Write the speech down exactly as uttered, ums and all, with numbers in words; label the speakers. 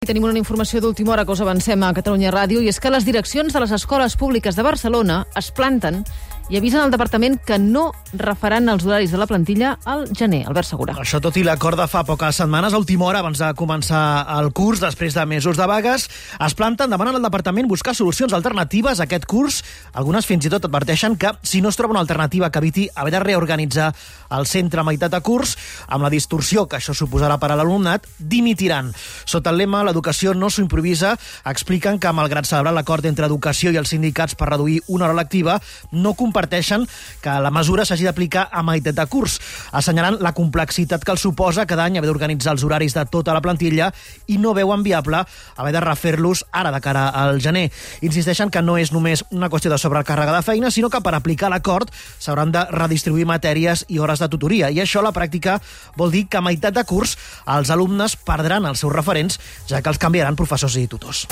Speaker 1: Tenim una informació d'última hora que us avancem a Catalunya Ràdio, i és que les direccions de les escoles públiques de Barcelona es planten i avisen al departament que no refaran els horaris de la plantilla al gener. Albert Segura.
Speaker 2: Això tot i l'acord de fa poques setmanes, a última hora, abans de començar el curs, després de mesos de vagues, es planten, demanen al departament buscar solucions alternatives a aquest curs. Algunes fins i tot adverteixen que, si no es troba una alternativa que eviti haver de reorganitzar el centre a meitat de curs, amb la distorsió que això suposarà per a l'alumnat, dimitiran. Sota el lema "L'educació no s'ho improvisa", expliquen que, malgrat celebrar l'acord entre educació i els sindicats per reduir una hora lectiva, no comparteixen que la mesura s'hagi d'aplicar a meitat de curs, assenyalant la complexitat que els suposa cada any haver d'organitzar els horaris de tota la plantilla i no veuen viable haver de refer-los ara de cara al gener. Insisteixen que no és només una qüestió de sobrecàrrega de feina, sinó que per aplicar l'acord s'hauran de redistribuir matèries i hores de tutoria, i això a la pràctica vol dir que a meitat de curs els alumnes perdran els seus referents, ja que els canviaran professors i tutors.